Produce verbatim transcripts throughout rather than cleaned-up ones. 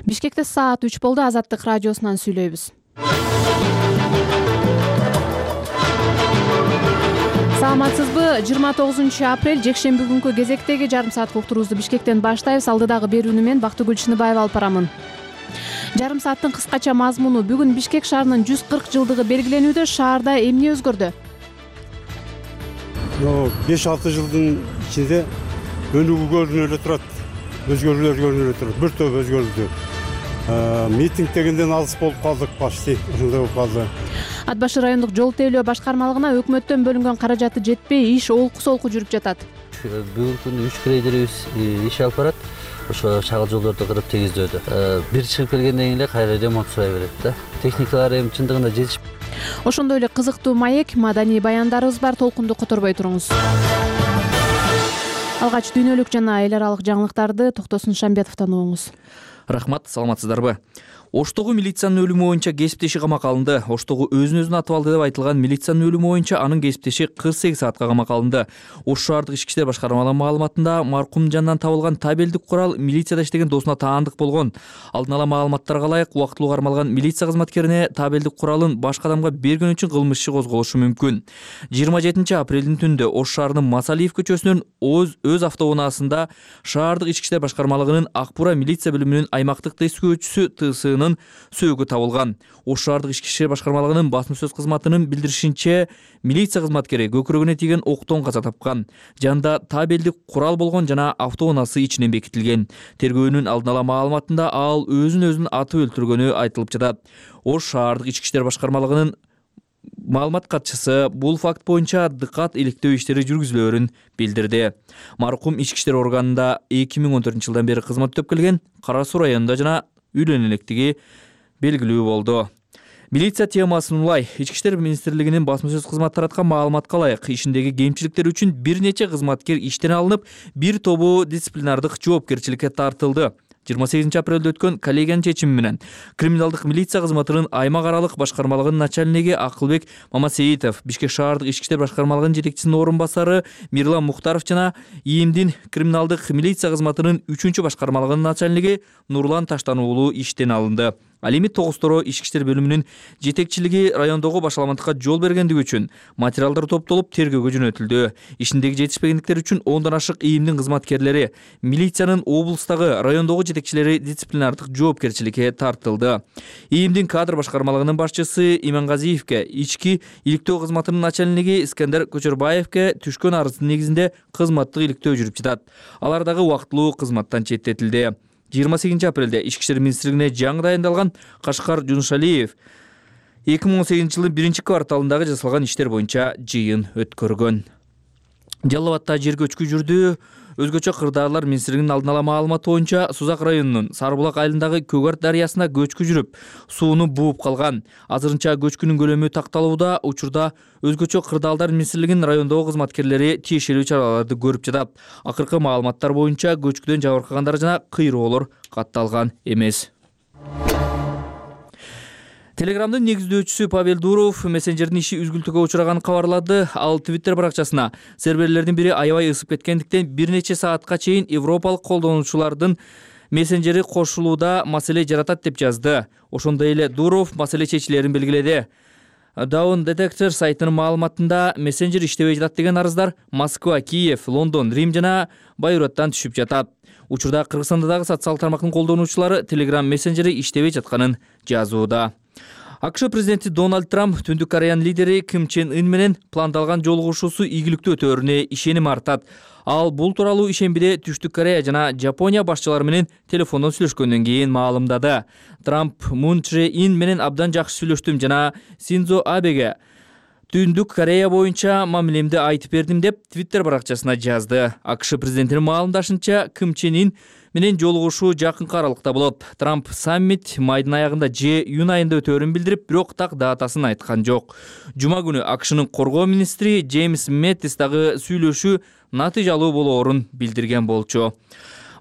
Бишкекте саат үч болду. Азаттык радиосунан сүйлөйбүз. Саламатсызбы? жыйырма тогузунчу апрель жекшемби күнкү кезектеги жарым саат уктуруубузду Бишкектен баштайбыз. Алдыдагы берүүнү мен Бактыгүл Чыныбаева алып барамын. Жарым сааттын кыскача мазмуну: бүгүн Бишкек шаарынын жүз кырк жылдыгы белгиленүүдө. Шаарда эмне өзгөрдү? беш алты жылдын ичинде өнүгүү көрүнүп эле турат. Өзгөрүүлөр көрүнүп эле турат. Бир топ өзгөрдү. Митинг дегенден алыс болуп калдык, почти ошондой болуп калды. Ат башы райондук жол тейлөө башкармалыгына өкмөттөн бөлүнгөн каражаты жетпей, иш олку-солку жүрүп жатат. Бүгүнкү күндө үч грейдерибиз иш алып барат. Ошо чагыл жолдорду кырып тегиздөөдө. Бир чыгып келгенден кийин эле кайра ремонт сурай берет да. Техникалар эми чындыгында жетишп. Ошондой эле кызыктуу маек, маданий баяндарыбыз бар. Толкунду которбой туруңуз. Алгач дүйнөлүк жана эл аралык жаңылыктарды Токтосун Шамбетовдон угуңуз. Рахмат, саламатсыздарбы? Оштогу милициянын өлүмү боюнча кесиптеши камакка алынды. Оштогу өзүн-өзүн атып алды деп айтылган милициянын өлүмү боюнча анын кесиптеши кырк сегиз саатка камакка алынды. Ош шаардык ички иштер башкармалыгынын маалыматында маркум жанынан табылган табелдик курал милицияда иштеген досуна таандык болгон. Алдын ала маалыматтарга ылайык, убактылуу кармалган милиция кызматкерине табелдик куралын башка адамга берген үчүн кылмыш иши козголушу мүмкүн. жыйырма жетинчи апрелдин түндө Ош шаарынын Масалиев көчөсүнөн өз өз автоунаасында шаардык ички иштер башкармалыгынын Акбура милиция бөлүмүнүн аймактык тескөөчүсү ТСынын сөөгү табылган. Ош шаардык ички иштер башкармалыгынын басма сөз кызматынын билдиришинче, милиция кызматкери көкүрөгүнө тийген октон каза тапкан. Жанында табелдик курал болгон жана автоунаасы ичинен бекитилген. Тергөөнүн алдын ала маалыматында ал өзүн өзүн атып өлтүргөнү айтылып жатат. Ош шаардык ички иштер башкармалыгынын маалымат катчысы бул факт боюнча дыкат иликтөө иштери жүргүзүлөөрүн билдирди. Маркум ички иштер органында эки миң он төртүнчү жылдан бери кызмат өтөп келген, Кара Суу районунда жана үйлөнө электиги белгилүү болду. Милиция темасын улай. Ички иштер министрлигинин басма сөз кызматы тараткан маалыматка ылайык, ишиндеги кемчиликтер үчүн бир нече кызматкер иштен алынып, бир тобу дисциплинардык жоопкерчиликке тартылды. жыйырма сегизинчи апрелде өткөн коллегиянын чечими менен криминалдык милиция кызматынын аймак аралык башкармалыгынын начальниги Акылбек Мамасеитов, Бишкек шаардык ички иштер башкармалыгынын жетекчисинин орун басары Мирлан Мухтаров жана ИИМдин криминалдык милиция кызматынын үчүнчү башкармалыгынын начальниги Нурлан Таштан уулу иштен алынды. Ал эми Тогуз-Торо ички иштер бөлүмүнүн жетекчилиги райондогу башаламандыкка жол бергендиги үчүн материалдар топтолуп тергөөгө жөнөтүлдү. Ишиндеги жетишпегендиктер үчүн ондон ашык ИИМдин кызматкерлери, милициянын облустагы, райондогу жетекчилери дисциплинардык жоопкерчиликке тартылды. ИИМдин кадр башкармалыгынын башчысы Имангазиевке, ички иликтөө кызматынын начальниги Искендер Көчөрбаевке түшкөн арыздын негизинде кызматтык иликтөө жүрүп жатат. Алар дагы убактылуу кызматтан четтетилди. жыйырма сегизинчи апрелде ички иштер министрлигине жаңы дайындалган Кашкар Жунушалиев эки миң он сегизинчи жылдын биринчи кварталындагы жасалган иштер боюнча жыйын өткөргөн. Жалал Абадта жер көчкү жүрдү. Өзгөчө кырдаалар министрлигинин алдын ала маалыматы боюнча Сузак районунун Сарыбулак айылындагы Көгөрт дарыясына көчкү жүрүп, сууну бууп калган. Азырынча көчкүнүн көлөмү такталууда. Учурда өзгөчө кырдаалдар министрлигинин райондогу кызматкерлери тиешелүү чараларды көрүп жатат. Акыркы маалыматтар боюнча көчкүдөн жабыркагандар жана кыйроолор катталган эмес. Телеграмдын негиздөөчүсү Павел Дуров мессенджердин иши үзгүлтүүгө учураганын кабарлады. Ал Twitter баракчасына серверлердин бири аябай ысып кеткендиктен бир нече саатка чейин европалык колдонуучулардын мессенджери кошулууда маселе жаратат деп жазды. Ошондой эле Дуров маселе чечилерин белгиледи. Down Detector сайтынын маалыматында мессенджер иштебей жатат деген арыздар Москва, Киев, Лондон, Рим жана Байруттан түшүп жатат. Учурда Кыргызстанда дагы социалдык тармактын колдонуучулары Telegram мессенджери иштебей жатканын жазууда. АКШ президенти Дональд Трамп Түндүк Кореянын лидери Ким Чен Ын менен пландалган жолугушуусу ийгиликтүү өтөөрүнө ишеним артат. Ал бул тууралуу ишембиде Түштүк Корея жана Жапония башчылары менен телефондон сүйлөшкөндөн кийин маалымдады. Трамп Мун Чже Ин менен абдан жакшы сүйлөштүм жана Синдзо Абеге Түндүк Корея боюнча мамилемди айтып бердим деп Twitter баракчасына жазды. АКШ президентинин маалымдашынча Ким Чен Ин менен жолугушуу жакынкы аралыкта болот. Трамп саммит майдын аягында же июнь айында өтөөрүн билдирип, бирок так датасын айткан жок. Жума күнү АКШнын коргоо министри Джеймс Мэттис дагы сүйлөшүү натыйжалуу болоорун билдирген болчу.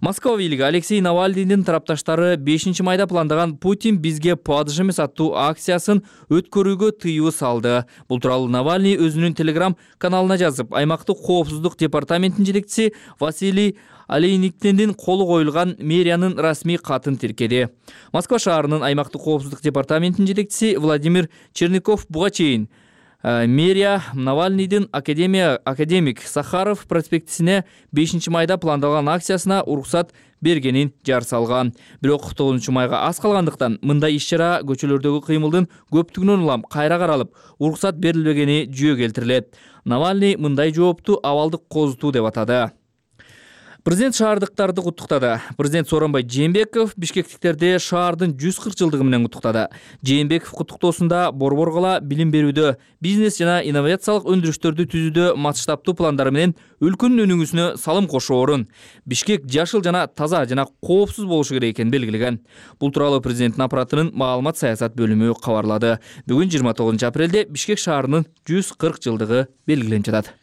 Москва бийлиги Алексей Навальныйдын тарапташтары бешинчи майда пландаган Путин бизге падыш эмес аттуу акциясын өткөрүүгө тыюу салды. Бул тууралуу Навальный өзүнүн Telegram каналына жазып, аймактык коопсуздук департаментинин жетекчиси Василий Олейниктендин колу коюлган мэриянын расмий катын тиркеди. Москва шаарынын аймактык коопсуздук департаментинин жетекчиси Владимир Черников буга чейин мэрия Навальныйдын академия академик Сахаров проспектисине бешинчи майда пландалган акциясына уруксат бергенин жар салган. Бирок тогузунчу майга аз калгандыктан мындай иш-чара көчөлөрдөгү кыймылдын көптүгүнөн улам кайра каралып, уруксат берилбегени жүйө келтирилет. Навальный мындай жоопту абалдык козутуу деп атады. Президент шаардыктарды куттуктады. Президент Сооронбай Жээнбеков бишкектиктерди шаардын жүз кырк жылдыгы менен куттуктады. Жээнбеков куттуктоосунда борбор кала билим берүүдө, бизнес жана инновациялык өндүрүштөрдү түзүүдө масштабтуу пландары менен өлкөнүн өнүгүүсүнө салым кошоорун, Бишкек жашыл жана таза жана коопсуз болушу керек экенин белгилеген. Бул тууралуу президенттин аппаратынын маалымат саясат бөлүмү кабарлады. Бүгүн жыйырма тогузунчу апрелде Бишкек шаарынын жүз кырк жылдыгы белгиленип жатат.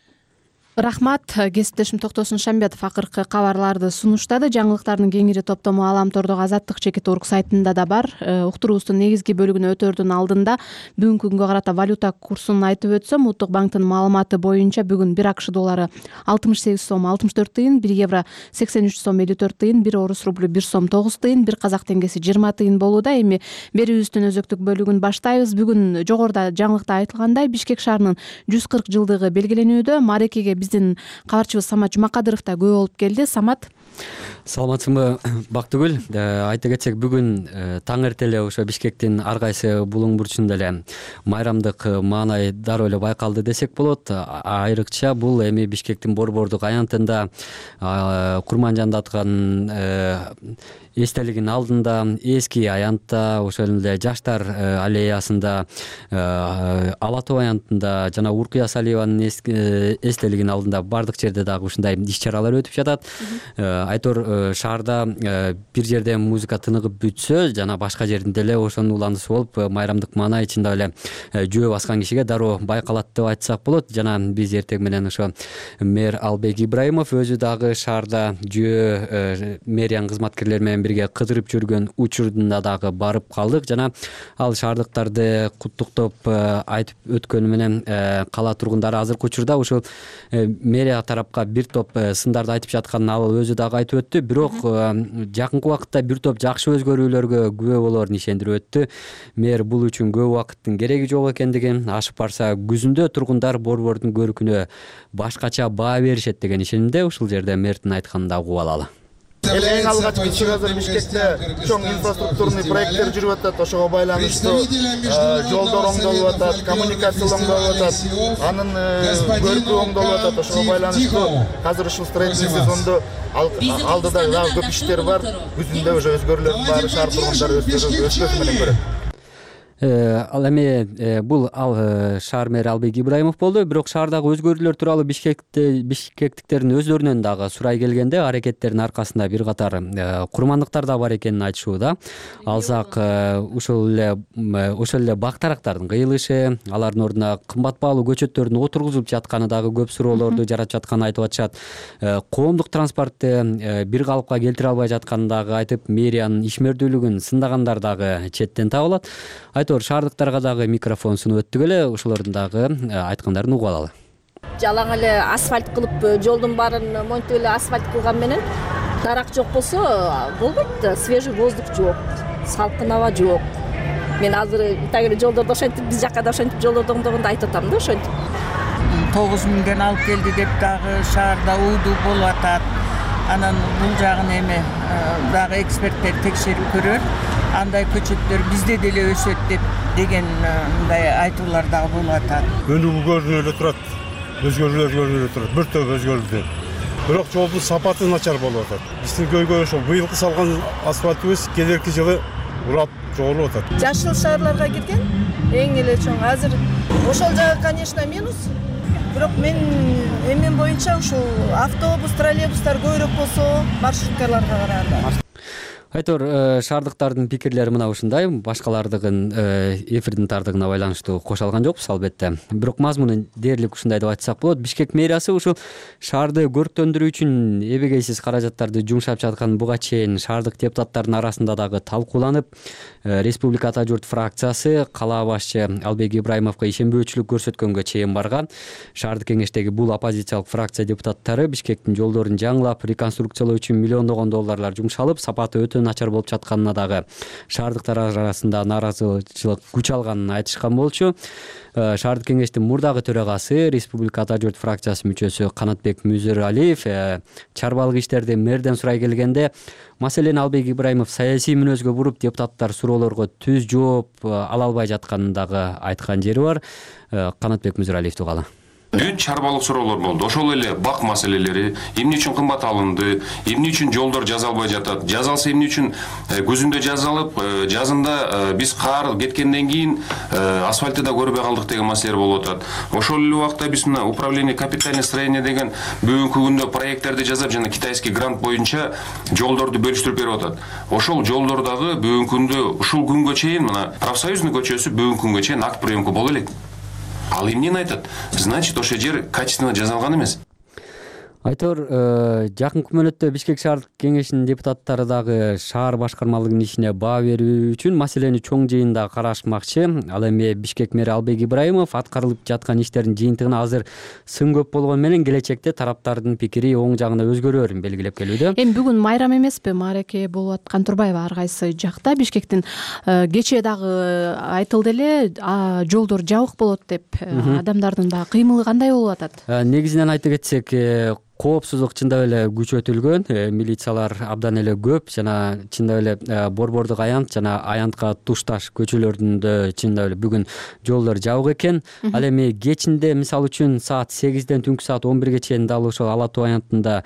Рахмат. Кесиптешим Токтосун Шамбетов акыркы кабарларды сунуштады. Жаңылыктардын кеңири топтому Аламтордогу Азаттык чекит орг сайтында да бар. Уктуруубуздун негизги бөлүгүнө өтөрдүн алдында бүгүнкү күнгө карата валюта курсун айтып өтсөм, Улуттук банктын маалыматы боюнча бүгүн бир АКШ доллары алтымыш сегиз сом алтымыш төрт тыйын, бир евро сексен үч сом элүү төрт тыйын, бир орус рублю бир сом тогуз тыйын, бир казак теңгеси жыйырма тыйын болууда. Эми берүүбүздүн өзөктүк бөлүгүн баштайбыз. Бүгүн жогоруда жаңылыкта айтылгандай Бишкек шаарынын жүз кырк жылдыгы белгиленүүдө. Маарекеге биздин кабарчыбыз Самат Жумакадыров да күбө болуп келди. Самат, саламатсыңбы Бактыгүл? Айта кетсек, бүгүн таң эрте эле ошо Бишкектин ар кайсы булуң бурчунда эле майрамдык маанай дароо эле байкалды десек болот. Айрыкча бул эми Бишкектин борбордук аянтында Курманжанда аткан эстелигин алдында, эски аянтта, ошол эле жаштар аллеясында, Ала тоо аянтында жана Уркуя Салиеванын эстелигинин алдында бардык жерде дагы ушундай иш-чаралар өтүп жатат. Айтор шаарда бир жерде музыка тыныгып бүтсө, жана башка жеринде эле ошонун уландысы болуп, майрамдык маанай чындап эле жөө баскан кишиге дароо байкалат деп айтсак болот. Жана биз эртең менен ошо мэр Албек Ибраимов өзү дагы шаарда жөө мэриянын кызматкерлери менен бирге кыдырып жүргөн учурунда дагы барып калдык. Жана ал шаардыктарды куттуктоп айтып өткөнү менен кала тургундары азыркы учурда ушул мэрия тарапка бир топ сындарды айтып жатканын ал өзү дагы айтып өттү. Бирок жакынкы убакытта бир топ жакшы өзгөрүүлөргө күбө болоорун ишендирип өттү. Мэр бул үчүн көп убакыттын кереги жок экендигин, ашып барса күзүндө тургундар борбордун көркүнө башкача баа беришет деген ишенимде. Ушул жерде мэрдин айтканын да угуп алалы. Эң алгач биз азыр Бишкекте чоң инфраструктурный проекттер жүрүп атат. Ошого байланыштуу жолдор оңдолуп атат, коммуникациялар оңдолуп атат, анын көркү оңдолуп атат. Ошого байланыштуу азыр ушул строительный сезондо алдыда дагы көп иштер бар. Күзүндө уже өзгөрүүлөрдүн баары шаар тургундары өз менен көрөт. Ал эми бул ал шаар мэри Албек Ибраимов болду. Бирок шаардагы өзгөрүүлөр тууралуу Бишкекте бишкектиктердин өздөрүнөн дагы сурай келгенде аракеттердин аркасында бир катар курмандыктар да бар экенин айтышууда. Алсак ушул эле ошол эле бактарактардын кыйылышы, алардын ордуна кымбат баалуу көчөттөрдүн отургузуп жатканы дагы көп суроолорду жаратып жатканын айтып атышат. Коомдук транспортты бир калыпка келтире албай жатканын дагы айтып, мэриянын ишмердүүлүгүн сындагандар дагы четтен табылат. Айтор шаардыктарга дагы микрофон сунуп өттүк эле, ошолордун дагы айткандарын угуп алалы. Жалаң эле асфальт кылып, жолдун баарын монтип эле асфальт кылган менен дарак жок болсо болбойт, свежий воздух жок, салкын аба жок. Мен азыр тагы жолдорду ошентип, биз жакка да ошентип жолдорду оңдогондо айтып атам да ошентип. тогуз миңден алып келди деп дагы шаарда уудуу болуп атат. Анан бул жагын эми дагы эксперттер текшерип көрөр. Андай көчөттөр бизде деле өсөт деп деген мындай айтуулар дагы болуп атат. Өнүгүү көрүнүп эле турат, өзгөрүүлөр көрүнүп эле турат, бир топ өзгөрүүдө. Бирок жолдун сапаты начар болуп атат. Биздин көйгөй ошол быйылкы салган асфальтыбыз келерки жылы урап жоголуп атат. Жашыл шаарларга кирген эң эле чоң. Азыр ошол жагы, конечно, минус. Бирок мен эмен боюнча ушул автобус, троллейбустар көбүрөөк болсо маршруткаларга караганда. Айтор, шаардыктардын пикирлери мына ушундай, башкалардыгын эфирдин тардыгына байланыштуу кошо алган жокпуз албетте. Бирок мазмуну дээрлик ушундай деп айтсак болот. Бишкек мэриясы ушул шаарды көрктөндүрүү үчүн эбегейсиз каражаттарды жумшап жаткан буга чейин шаардык депутаттардын арасында дагы талкууланып, Республика Ата журт фракциясы кала башчы Албек Ибраимовго ишенбөөчүлүк көрсөткөнгө чейин барган. Шаардык кеңештеги бул оппозициялык фракция депутаттары Бишкектин жолдорун жаңылап, реконструкциялоо үчүн миллиондогон долларлар жумшалып, сапаты өтө начар болуп жатканына дагы шаардыктар арасында нааразычылык күч алганын айтышкан болчу. Шаардык кеңештин мурдагы төрагасы, Республика Ата журт фракциясы мүчөсү Канатбек Мүзөралиев чарбалык иштерди мэрден сурай келгенде, маселени Албек Ибраимов саясий мүнөзгө буруп, депутаттар суроолорго түз жооп ала албай жатканын дагы айткан жери бар. Канатбек Мүзөралиевди угалы. Бүт чарбалык суроолор болду. Ошол эле бак маселелери, эмне үчүн кымбат алынды, эмне үчүн жолдор жазалбай жатат, жазалса эмне үчүн күзүндө жазалып, жазында биз кар кеткенден кийин асфальтты да көрбөй калдык деген маселелер болуп атат. Ошол эле убакта биз мына управление капитальный строение деген бүгүнкү күндө проекттерди жасап, жана китайский грант боюнча жолдорду бөлүштүрүп берип атат. Ошол жолдордагы бүгүнкү күндө ушул күнгө чейин мына профсоюзный көчөсү бүгүнкү күнгө чейин акт приемка боло элек. Ал эмнени айтат? Значит, ошол жер качественно жазалган эмес. Айтор, жакынкы мөөнөттө Бишкек шаардык кеңешинин депутаттары дагы шаар башкармалыгынын ишине баа берүү үчүн маселени чоң жыйында карашмакчы. Ал эми Бишкек мэри Албек Ибраимов аткарылып жаткан иштердин жыйынтыгына азыр сын көп болгону менен келечекте тараптардын пикири оң жагына өзгөрөөрүн белгилеп келүүдө. Эми бүгүн майрам эмеспи? Маареке болуп аткан турбайбы ар кайсы жакта? Бишкектин кечээ дагы айтылды эле, жолдор жабык болот деп. Адамдардын баягы кыймылы кандай болуп атат? Негизинен айта кетсек, коопсуздук чындап эле күчөтүлгөн, милициялар абдан эле көп жана чындап эле Борбордук аянт жана аянтка тушташ көчөлөрдүндө чындап эле бүгүн жолдор жабык экен. Ал эми кечинде мисалы үчүн саат сегизден түнкү саат он бирге чейин дал ошол Ала Тоо аянтында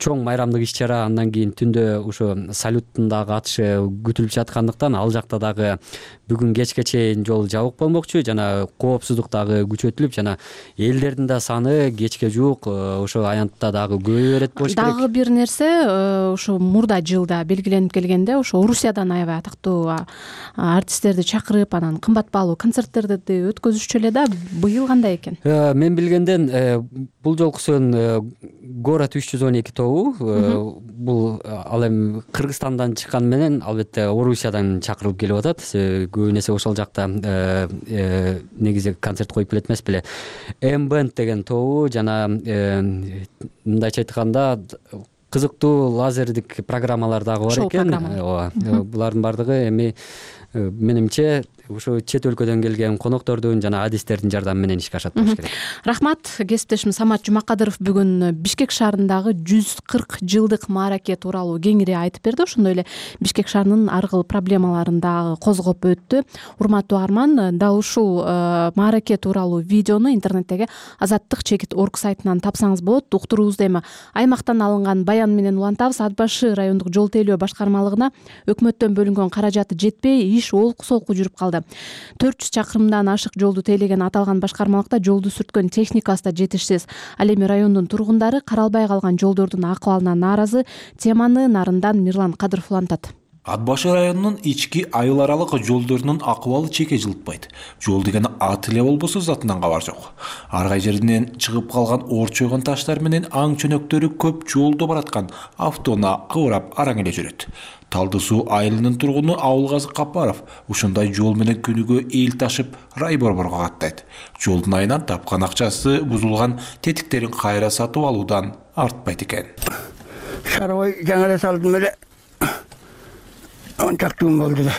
чоң майрамдык иш чара, андан кийин түндө ушу салюттун дагы атышы күтүлүп жаткандыктан ал жакта дагы бүгүн кечке чейин жол жабык болмокчу жана коопсуздук дагы күчөтүлүп жана элдердин да саны кечке жуук ошо аянт дагы көбөйө берет болуш керек. Дагы бир нерсе, ошо мурда жылда белгиленип келгенде, ошо Орусиядан аябай атактуу артисттерди чакырып, анан кымбат баалуу концерттерди өткөзүшчү эле да. Быйыл кандай экен? Мен билгенден бул жолкусун Город үч жүз он эки тобу, бул ал эми Кыргызстандан чыккан менен албетте Орусиядан чакырылып келип атат. Көбүн эсе ошол жакта негизи концерт коюп келет эмес беле. M-Band деген тобу жана мындайча айтканда кызыктуу лазердик программалар дагы бар экен. Ооба. Булардын бардыгы эми менимче ушу чет өлкөдөн келген коноктордун жана адистердин жардамы менен ишке ашат болуш керек. Рахмат. Кесиптешим Самат Жумакадыров бүгүн Бишкек шаарындагы жүз кырк жылдык маараке тууралуу кеңири айтып берди. Ошондой эле Бишкек шаарынын ар кыл проблемаларын дагы козгоп өттү. Урматтуу арман, дал ушул маараке тууралуу видеону интернеттеги азаттык чекит точка орг сайтынан тапсаңыз болот. Уктуруубузду эми аймактан алынган баян менен улантабыз. Ат башы райондук жол тейлөө башкармалыгына өкмөттөн бөлүнгөн каражаты жетпей, иш олку-солку жүрүп калды. төрт жүз чакырымдан ашык жолду тейлеген аталган башкармалыкта жолду сүрткөн техникасы да жетишсиз. Ал эми райондун тургундары каралбай калган жолдордун акыбалына нааразы. Теманы Нарындан Мирлан Кадыров улантат. Ат башы районунун ички айыл аралык жолдорунун акыбалы чеке жылытпайт. Жол деген ат эле болбосо затынан кабар жок. Ар кай жеринен чыгып калган орчойгон таштар менен аң чөнөктөрү көп жолдо бараткан автоуна кыбырап араң эле жүрөт. Талды суу айылынын тургуну Абылгазы Капаров ушундай жол менен күнүгө эл ташып рай борборго каттайт. Жолдун айынан тапкан акчасы бузулган тетиктерин кайра сатып алуудан артпайт экен. Шарабай жаңа эле салдым эле. Ончактуу болду да.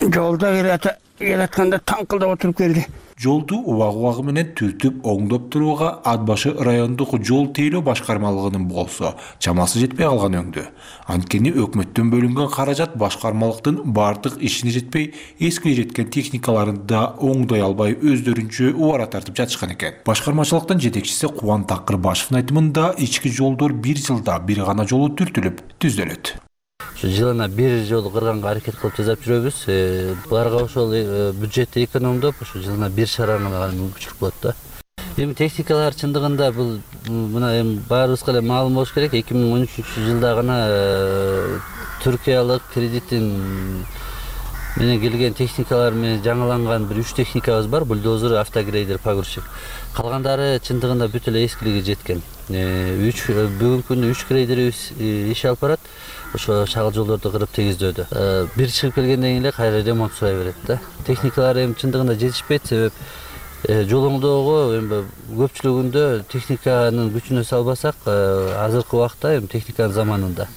Жолда келатканда таңкылдап отуруп келди. Жолду убагы-убагы менен түртүп оңдоп турууга Ат башы райондук жол тейлөө башкармалыгынын болсо чамасы жетпей калган өңдү. Анткени өкмөттөн бөлүнгөн каражат башкармалыктын бардык ишине жетпей, эскиге жеткен техникаларын да оңдой албай өздөрүнчө убара тартып жатышкан экен. Башкармачылыктын жетекчиси Кубан Такырбашевдин айтымында ички жолдор бир жылда бир гана жолу түртүлүп түздөлөт. Жылына бир жол кырганга аракет кылып жасап жүрөбүз. Буларга ошол бюджетти экономдоп, ошо жылына бир шараны мүмкүнчүлүк болот да. Эми техникалар чындыгында бул мына эми баарыбызга эле маалым болуш керек. эки миң он үчүнчү жылда гана түркиялык кредиттин менен келген техникалар менен жаңыланган бир үч техникабыз бар: бульдозер, автогрейдер, погрузчик. Калгандары чындыгында бүт эле эскилиги жеткен. үч бүгүнкү күндө үч грейдерибиз иш алып барат. Ошо шагыл жолдорду кырып тегиздөөдө. Бир чыгып келгенден кийин эле кайра ремонт сурай берет да. Техникалар эми чындыгында жетишпейт, себеп жол оңдоого эми көпчүлүгүндө техниканын күчүнө салбасак, азыркы убакта эми техниканын заманында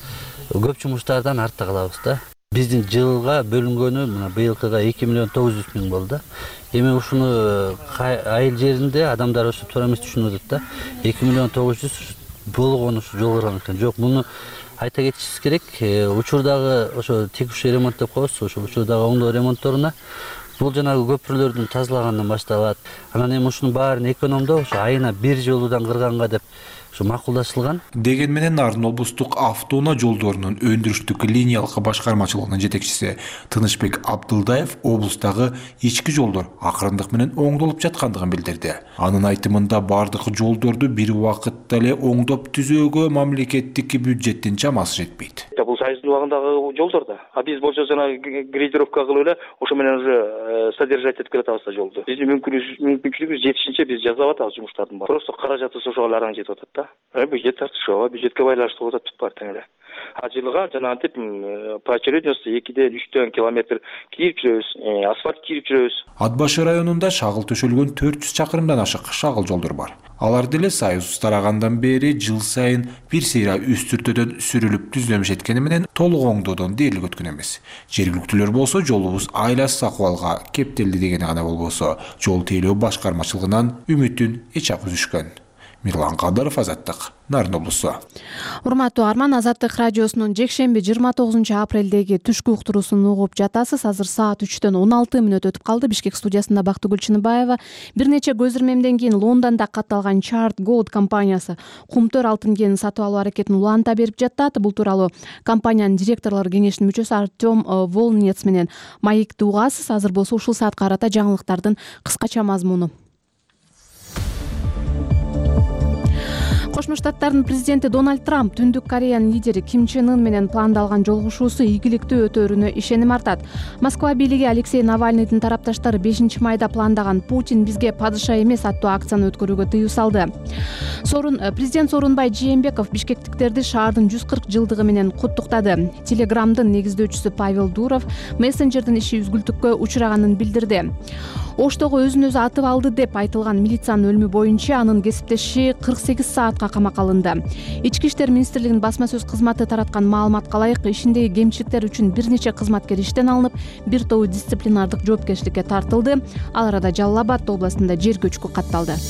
көп жумуштардан артта калабыз да. Биздин жылга бөлүнгөнү мына быйылкыга эки миллион тогуз жүз миң болду. Эми ушуну айыл жеринде адамдар ошо туура эмес түшүнүп атат да. эки миллион тогуз жүз болгон ушу жол кырган экен. Жок, муну айта кетишибиз керек. Учурдагы ошо текущий ремонт деп коебуз, ошо учурдагы оңдоо ремонтторуна бул жанагы көпүрлөрдүн тазалагандан башталат. Анан эми ушунун баарын экономдоо ошо айына бир жолудан кырганга деп ушу макулдашылган. Деген менен Нарын облустук автоунаа жолдорунун өндүрүштүк линиялык башкармачылыгынын жетекчиси Тынычбек Абдылдаев облустагы ички жолдор акырындык менен оңдолуп жаткандыгын билдирди. Анын айтымында бардык жолдорду бир убакытта эле оңдоп түзөөгө мамлекеттик бюджеттин чамасы жетпейт. Бул сайыздын убагындагы жолдор да. А биз болсо жана грейдировка кылып эле ошо менен уже содержать этип келатабыз да жолду. Биздин мүмкүнчүлүгүбүз жетишинче биз жасап атабыз жумуштардын баарын. Просто каражаты ошого эле араң жетип атат да. Бюджет тартышуу, бюджетке байланыштуу болуп атат баары тең эле. А жылга жанагынтип поочередности экиден үчтөн километр кийип жүрөбүз, асфальт кийип жүрөбүз. Ат башы районунда шагыл төшөлгөн төрт жүз чакырымдан ашык шагыл жолдор бар. Алар деле Союз тарагандан бери жыл сайын бир сейра үстүртөдөн сүрүлүп түзөлмөш эткени менен толук оңдоодон дээрлик өткөн эмес. Жергиликтүүлөр болсо жолубуз айласыз акыбалга кептелди дегени гана болбосо, жол тейлөө башкармачылыгынан үмүтүн эч ак үзүшкөн. Мирлан Кадыров, Азаттык, Нарын облусу. Урматтуу Арман, Азаттык радиосунун жекшемби жыйырма тогузунчу апрелдеги түшкү уктуруусун угуп жатасыз. Азыр саат үчтөн он алты мүнөт өтүп калды. Бишкек студиясында Бактыгүл Чыныбаева. Бир нече көз ирмемден кийин Лондондо катталган Chart Gold компаниясы кумтөр алтын кенин сатып алуу аракетин уланта берип жатат. Бул тууралуу компаниянын директорлор кеңешинин мүчөсү Артем Волнец менен маекти угасыз. Азыр болсо ушул саатка карата жаңылыктардын кыскача мазмуну. Кошмо Штаттардын президенти Дональд Трамп Түндүк Кореянын лидери Ким Чен Ын менен пландалган жолугушуусу ийгиликтүү өтөөрүнө ишеним артат. Москва бийлиги Алексей Навальныйдын тарапташтары бешинчи майда пландаган «Путин бизге падыша эмес» аттуу акцияны өткөрүүгө тыюу салды. Сорун президент Сооронбай Жээнбеков бишкектиктерди шаардын жүз кырк жылдыгы менен куттуктады. Телеграмдын негиздөөчүсү Павел Дуров мессенджердин иши үзгүлтүккө учураганын билдирди. Оштогу өзүн өзү атып алды деп айтылган милициянын өлүмү боюнча анын кесиптеши кырк сегиз саатка камакка алынды. Ички иштер министрлигинин басма сөз кызматы тараткан маалыматка ылайык, ишиндеги кемчиликтер үчүн бир нече кызматкер иштен алынып, бир тобу дисциплинардык жоопкерчиликке тартылды. Ал арада Жалал Абад областында жер көчкү катталды.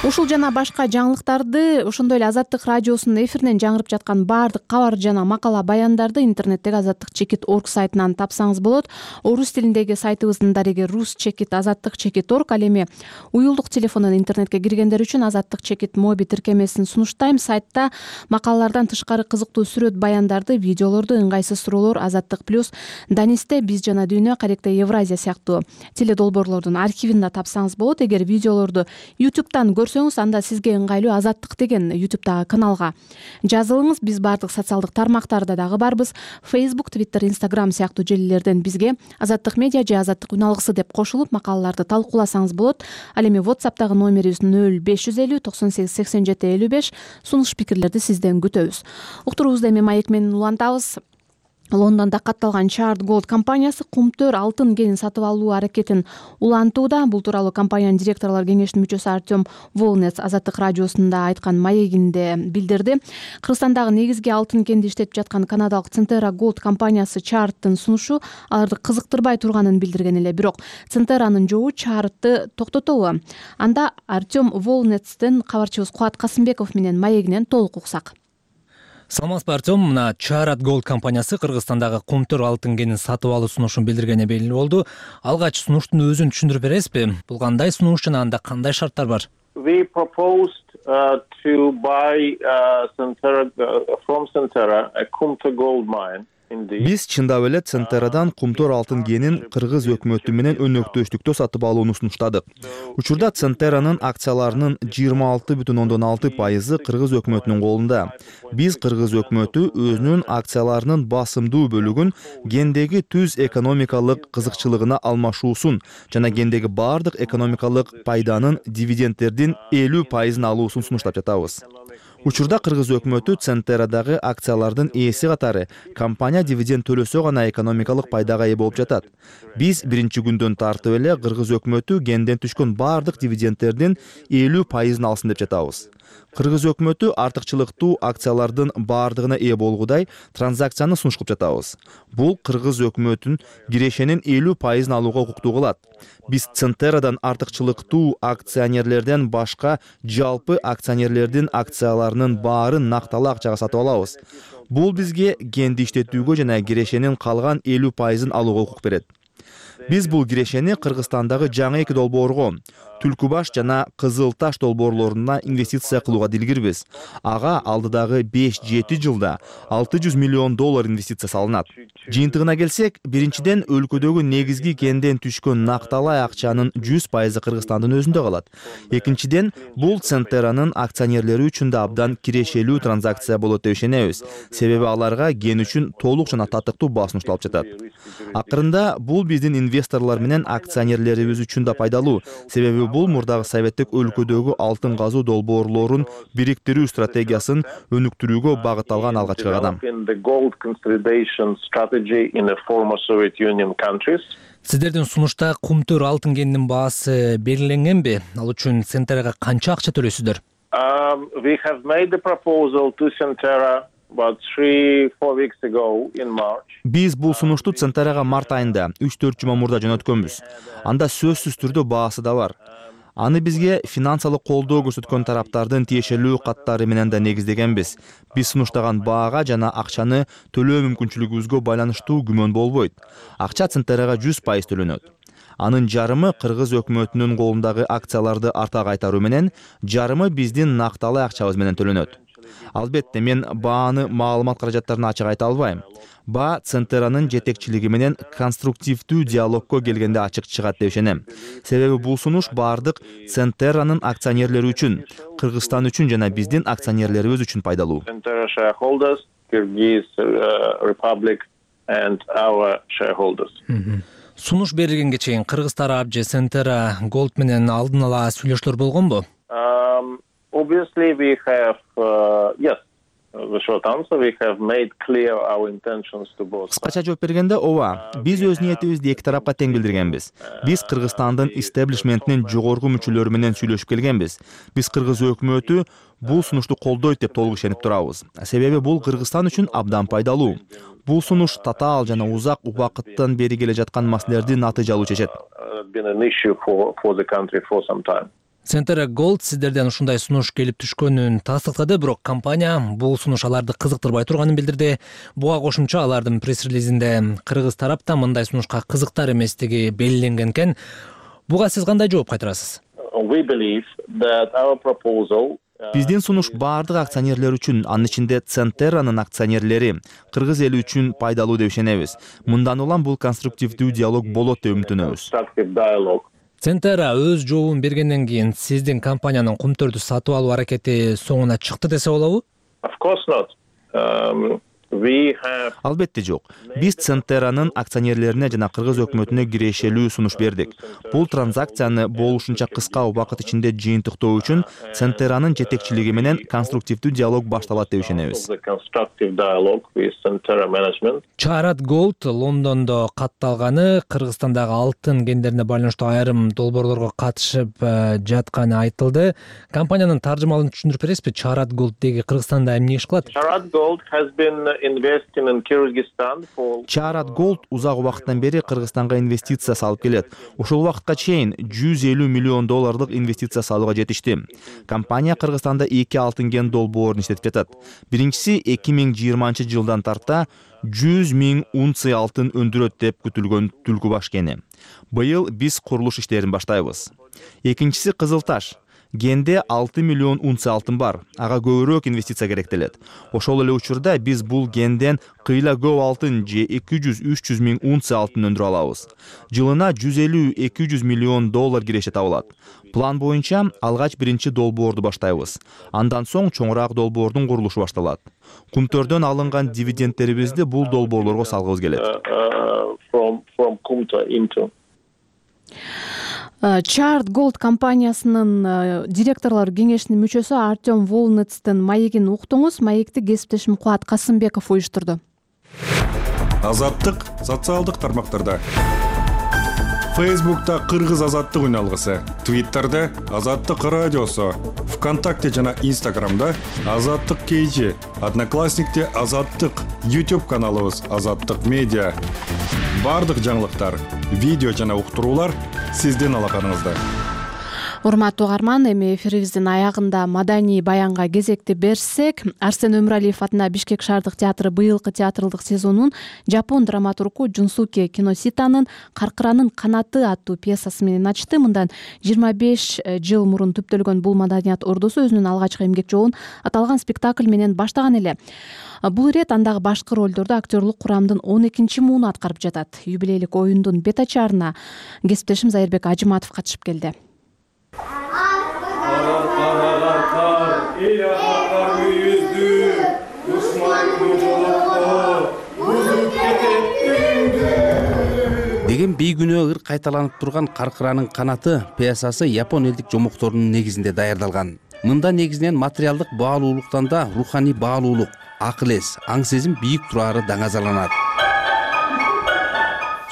Ушул жана башка жаңылыктарды, ошондой эле Азаттык радиосунун эфиринен жаңырып жаткан баардык кабар жана макала баяндарды интернеттеги азаттык чекит точка орг сайтынан тапсаңыз болот. Орус тилиндеги сайтыбыздын дареги рус чекит азаттык чекит точка орг. Ал эми уюлдук телефондон интернетке киргендер үчүн азаттык чекит моби тиркемесин сунуштайм. Сайтта макалалардан тышкары кызыктуу сүрөт баяндарды, видеолорду, ыңгайсыз суроолор, Азаттык плюс, Данисте, Биз жана дүйнө, Каректе Евразия сыяктуу теледолбоорлордун архивин да тапсаңыз болот. Эгер видеолорду ютубтан көрсөңүз, анда сизге ыңгайлуу Азаттык деген ютубтагы каналга жазылыңыз. Биз бардык социалдык тармактарда дагы барбыз. Facebook, Twitter, Instagram сыяктуу желилерден бизге Азаттык медиа же Азаттык үн алгысы деп кошулуп макалаларды талкууласаңыз болот. Ал эми WhatsApp'тагы номерибиз нөл беш жүз элүү токсон сегиз сексен жети элүү беш. Сунуш пикирлерди сизден күтөбүз. Уктуруубузду эми маек менен улантабыз. Лондонда катталган Chart Gold компаниясы кумтөр алтын кенин сатып алуу аракетин улантууда. Бул тууралуу компаниянын директорлор кеңешинин мүчөсү Артем Волнец Азаттык радиосунда айткан маегинде билдирди. Кыргызстандагы негизги алтын кенди иштетип жаткан канадалык Centera Gold компаниясы Chart'тын сунушу аларды кызыктырбай турганын билдирген эле. Бирок Centera'нын жобу Chart'ты токтотобу? Анда Артем Волнецтен кабарчыбыз Кубат Касымбеков менен маегинен толук уксак. Саламатсызбы, Артем. Мына Chart Gold компаниясы Кыргызстандагы кумтөр алтын кенин сатып алуу сунушун билдиргени белгилүү болду. Алгач сунуштун өзүн түшүндүрүп бересизби? Бул кандай сунуш жана анда кандай шарттар бар? We proposed uh, to buy uh, Centera, uh, from Centera a Kumta gold mine. Биз чындап эле Центерадан Кумтөр алтын кенин кыргыз өкмөтү менен өнөктөштүктө сатып алууну сунуштадык. Учурда Центеранын акцияларынын жыйырма алты бүтүн ондон алты пайызы кыргыз өкмөтүнүн колунда. Биз кыргыз өкмөтү өзүнүн акцияларынын басымдуу бөлүгүн гендеги түз экономикалык кызыкчылыгына алмашуусун жана гендеги баардык экономикалык пайданын дивидендтердин элүү пайызын алуусун сунуштап жатабыз. Учурда кыргыз өкмөтү Центерадагы акциялардын ээси катары компания дивиденд төлөсө гана экономикалык пайдага ээ болуп жатат. Биз биринчи күндөн тартып эле кыргыз өкмөтү генден түшкөн баардык дивидендтердин элүү пайызын алсын деп жатабыз. Кыргыз өкмөтү артыкчылыктуу акциялардын баардыгына ээ болгудай транзакцияны сунуш кылып жатабыз. Бул кыргыз өкмөтүн кирешенин элүү пайызын алууга укуктуу кылат. Биз Центерадан артыкчылыктуу акционерлерден башка жалпы акционерлердин акцияларынын баарын накталуу акчага сатып алабыз. Бул бизге генди иштетүүгө жана кирешенин калган элүү пайызын алууга укук берет. Биз бул кирешени Кыргызстандагы жаңы эки долбоорго, Түлкү баш жана Кызыл таш долбоорлоруна инвестиция кылууга дилгирбиз. Ага алдыдагы беш жети жылда алты жүз миллион доллар инвестиция салынат. Жыйынтыгына келсек, биринчиден өлкөдөгү негизги генден түшкөн накталай акчанын жүз пайызы Кыргызстандын өзүндө калат. Экинчиден, бул Центеранын акционерлери үчүн да абдан кирешелүү транзакция болот деп ишенебиз. Себеби аларга ген үчүн толук жана татыктуу баа сунушталып жатат. Акырында бул биздин инвесторлор менен акционерлерибиз үчүн да пайдалуу. Себеби бул мурдагы советтик өлкөдөгү алтын казуу долбоорлорун бириктирүү стратегиясын өнүктүрүүгө багытталган алгачкы кадам. Сиздердин сунушта Кумтөр алтын кенинин баасы белгиленгенби? Ал үчүн Центерага канча акча төлөйсүздөр? Um, we have made the proposal to Centera about three four weeks ago in March. Биз бул сунушту Центерага март айында үч төрт жума мурда жөнөткөнбүз. Анда сөзсүз түрдө баасы да бар. Аны бизге финансылык колдоо көрсөткөн тараптардын тиешелүү каттары менен да негиздегенбиз. Биз сунуштаган баага жана акчаны төлөө мүмкүнчүлүгүбүзгө байланыштуу күмөн болбойт. Акча Центерага жүз пайыз төлөнөт. Анын жарымы кыргыз өкмөтүнүн колундагы акцияларды арта кайтаруу менен, жарымы биздин накталай акчабыз менен төлөнөт. Албетте, мен бааны маалымат каражаттарына ачык айта албайм. Баа Центеранын жетекчилиги менен конструктивдүү диалогко келгенде ачык чыгат деп ишенем. Себеби бул сунуш баардык Центеранын акционерлери үчүн, Кыргызстан үчүн жана биздин акционерлерибиз үчүн пайдалуу. Centera shareholders, Kyrgyz uh, Republic and our shareholders. Сунуш берилгенге чейин Кыргыз тарап же Центера Gold менен алдын ала сүйлөшүүлөр болгонбу? Um, obviously we have uh, yes. The short answer, we have made clear our intentions to both. Кыскача жооп бергенде, ооба, биз өз ниетибизди эки тарапка тең билдиргенбиз. Биз Кыргызстандын истеблишментинин жогорку мүчөлөрү менен сүйлөшүп келгенбиз. Биз Кыргыз өкмөтү бул сунушту колдойт деп толук ишенип турабыз. Себеби бул Кыргызстан үчүн абдан пайдалуу. Бул сунуш татаал жана узак убакыттан бери келе жаткан маселелерди натыйжалуу чечет. Центера Gold сиздерден ушундай сунуш келип түшкөнүн тастыктады, бирок компания бул сунуш аларды кызыктырбай турганын билдирди. Буга кошумча алардын пресс-релизинде кыргыз тарапта мындай сунушка кызыктар эместиги белгиленген экен. Буга сиз кандай жооп кайтарасыз? Биздин сунуш баардык акционерлер үчүн, анын ичинде Центеранын акционерлери, кыргыз эли үчүн пайдалуу деп ишенебиз. Мындан улам бул конструктивдүү диалог болот деп үмүттөнөбүз. Центера өз жообун бергенден кийин сиздин компаниянын Кумтөрдү сатып алуу аракети соңуна чыкты десе болобу? Of course not. Um, we have... Албетте жок. Биз Центеранын акционерлерине жана кыргыз өкмөтүнө кирешелүү сунуш бердик. Бул транзакцияны болушунча кыска убакыт ичинде жыйынтыктоо үчүн Центеранын жетекчилиги менен конструктивдүү диалог башталат деп ишенебиз. Чарат Gold Лондондо катталганы, Кыргызстандагы алтын кендерине байланыштуу айрым долбоорлорго катышып жатканы айтылды. Компаниянын таржымалын түшүндүрүп бересизби? Чарат Gold деги Кыргызстанда эмне иш кылат? Чарат Gold has been investing in Kyrgyzstan for Чарат Gold узак убакыттан бери Кыргызстанга инвестиция салып келет. Ушул убакытка чейин жүз элүү миллион долларлык инвестиция салууга жетишти. Компания Кыргызстанда эки алтын кен долбоорун иштетип жатат. Биринчиси эки миң жыйырманчы жылдан тарта жүз миң унция алтын өндүрөт деп күтүлгөн Түлкү баш кени. Быйыл биз курулуш иштерин баштайбыз. Экинчиси Кызыл таш. Генде алты миллион унция алтын бар. Ага көбүрөөк инвестиция керектелет. Ошол эле учурда биз бул генден кыйла көп алтын же эки жүз үч жүз миң унция алтын өндүрө алабыз. Жылына жүз элүү эки жүз миллион доллар киреше табылат. План боюнча алгач биринчи долбоорду баштайбыз. Андан соң чоңураак долбоордун курулушу башталат. Кумтөрдөн алынган дивидендтерибизди бул долбоорлорго салгыбыз келет. Chart Gold компаниясынын директорлор кеңешинин мүчөсү Артем Волнецтин маегин уктуңуз. Маекти кесиптешим Кубат Касымбеков уюштурду. Азаттык социалдык тармактарда. Фейсбукта Кыргыз азаттык үналгысы, Твиттерде Азаттык радиосу, ВКонтакте жана Инстаграмда Азаттык кейжи, Одноклассникте Азаттык, YouTube каналыбыз Азаттык медиа. Бардык жаңылыктар, видео жана уктуруулар сиздин алаканыңызда. Урматтуу угарман, эми эфирибиздин аягында маданий баянга кезекти берсек, Арсен Өмүралиев атына Бишкек шаардык театры быйылкы театрлык сезонун жапон драматургу Жунсуке Киноситанын Каркыранын канаты аттуу пьесасы менен ачты. Мындан жыйырма беш жыл мурун түптөлгөн бул маданият ордусу өзүнүн алгачкы эмгек жолун аталган спектакль менен баштаган эле. Бул ирет андагы башкы ролдорду актерлук курамдын он экинчи мууну аткарып жатат. Юбилейлик оюндун бет ачаарына кесиптешим Зайырбек Ажыматов катышып келди. Деген бейгүнөө ыр кайталанып турган Каркыранын канаты пьесасы япон элдик жомокторунун негизинде даярдалган. Мында негизинен материалдык баалуулуктан да руханий баалуулук, акыл эс, аң сезим бийик турары даңазаланат.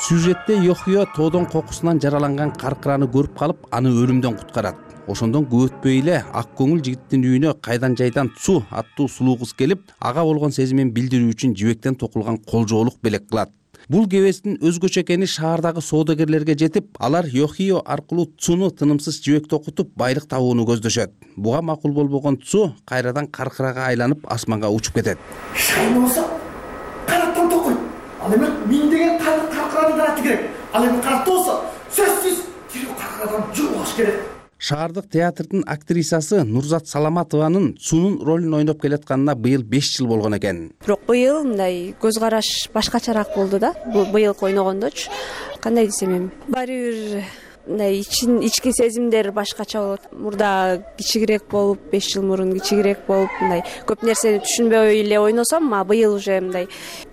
Сюжетте Йохио тоодон кокусунан жараланган Каркыраны көрүп калып, аны өлүмдөн куткарат. Ошондон көп өтпөй эле ак көңүл жигиттин үйүнө кайдан жайдан Цу аттуу сулуу кыз келип, ага болгон сезимин билдирүү үчүн жибектен токулган колжоолук белек кылат. Бул кебестин өзгөчө экени шаардагы соодагерлерге жетип, алар Йохио аркылуу Цуну тынымсыз жибек токутуп байлык табууну көздөшөт. Буга макул болбогон Цу кайрадан Каркырага айланып асманга учуп кетет. Шайын болсо канаттан токуйт. Ал эми миңдеген Каркыранын канаты керек. Ал эми канатта болсо сөзсүз тирүү Каркырадан жугуш керек. Шаардык театрдын актрисасы Нурзат Саламатованын Цунун ролун ойноп келатканына быйыл беш жыл болгон экен. Бирок быйыл мындай көз караш башкачараак болду да. Быйылкы ойногондочу. Кандай десем эми, баары бир мындай ичин ички сезимдер башкача болот. Мурда кичигирээк болуп, беш жыл мурун кичигирээк болуп, мындай көп нерсени түшүнбөй эле ойносом, а быйыл уже мындай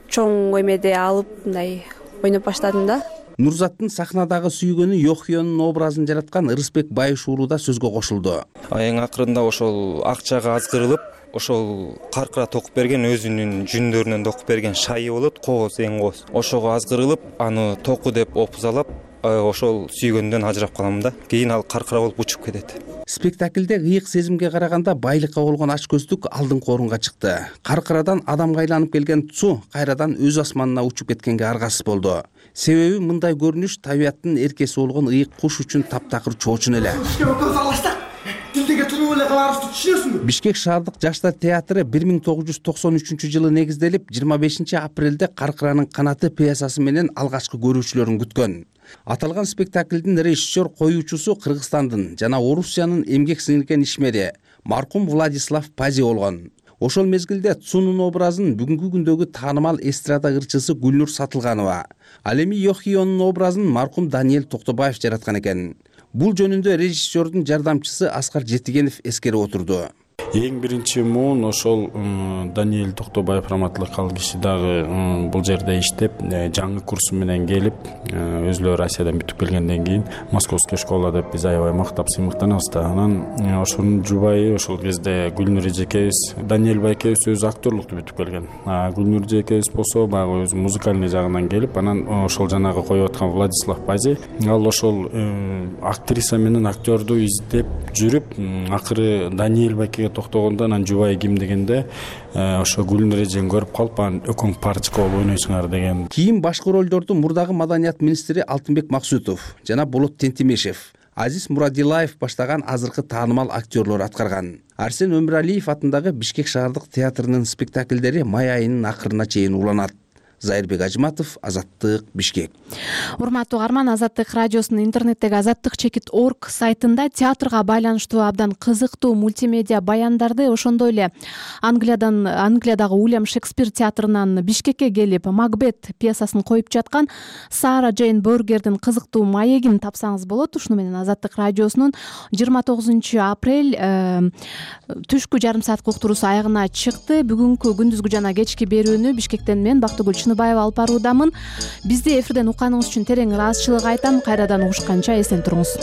чоң эмеде алып, мындай ойноп баштадым да. Нурзаттын сахнадагы сүйгөнү Йохионун образын жараткан Ырысбек Байыш уулу да сөзгө кошулду. Эң акырында ошол акчага азгырылып, ошол Каркыра токуп берген өзүнүн жүндөрүнөн токуп берген шайы болот, кооз эң кооз. Ошого азгырылып, аны току деп опузалап, ошол сүйгөндөн ажырап калам да. Кийин ал Каркыра болуп учуп кетет. Спектаклде ыйык сезимге караганда байлыкка болгон ач көздүк алдыңкы орунга чыкты. Каркырадан адамга айланып келген Цу кайрадан өз асманына учуп кеткенге аргасыз болду. Себеби мындай көрүнүш табияттын эркеси болгон ыйык куш үчүн таптакыр чоочун эле. Бишкек шаардык жаштар театры бир миң тогуз жүз токсон үчүнчү жылы негизделип, жыйырма бешинчи апрелде Каркыранын канаты пьесасы менен алгачкы көрүүчүлөрүн күткөн. Аталган спектаклдин режиссер коюучусу Кыргызстандын жана Орусиянын эмгек сиңирген ишмери маркум Владислав Пази болгон. Ошол мезгилде Цунун образын бүгүнкү күндөгү таанымал эстрада ырчысы Гүлнур Сатылганова, ал эми Йохионун образын маркум Даниэль Токтобаев жараткан экен. Бул жөнүндө режиссердун жардамчысы Аскар Жетигенов эскерип отурду. Эң биринчи муун ошол Даниэль Токтобаев раматтылык ал киши дагы бул жерде иштеп, жаңы курсу менен келип, өзүлөрү Россиядан бүтүп келгенден кийин Московский школа деп биз аябай мактап сыймыктанабыз да. Анан ошонун жубайы ошол кезде Гүлнур эжекебиз, Даниэль байкебиз өзү актерлукту бүтүп келген. А Гүлнур эжекебиз болсо баягы өзү музыкальный жагынан келип, анан ошол жанагы коюп аткан Владислав Пази, ал ошол актриса менен актерду издеп жүрүп, акыры Даниэль байкеге токтогондо анан жубайы ким дегенде ошо Гүлнур эжени көрүп калып, анан өкөң парочка болуп ойнойсуңар деген. Кийин башкы ролдорду мурдагы маданият министри Алтынбек Максутов жана Болот Тентимешев, Азиз Мурадилаев баштаган азыркы таанымал актерлор аткарган. Арсен Өмүралиев атындагы Бишкек шаардык театрынын спектаклдери май айынын акырына чейин уланат. Зайырбек Ажиматов, Азаттык, Бишкек. Урматтуу угарман, Азаттык радиосунун интернеттеги азаттык чекит точка орг сайтында театрга байланыштуу абдан кызыктуу мультимедиа баяндарды, ошондой эле Англиядан Англиядагы Уильям Шекспир театрынан Бишкекке келип Макбет пьесасын коюп жаткан Сара Джейн Бергердин кызыктуу маегин тапсаңыз болот. Ушуну менен Азаттык радиосунун жыйырма тогузунчу апрель түшкү жарым сааттык уктуруусу аягына чыкты. Бүгүнкү күндүзгү жана кечки берүүнү Бишкектен мен Бактыгүл Чыныбаева алып баруудамын. Бизди эфирден укканыңыз үчүн терең ыраазычылык айтам. Кайрадан угушканча эсен туруңуз.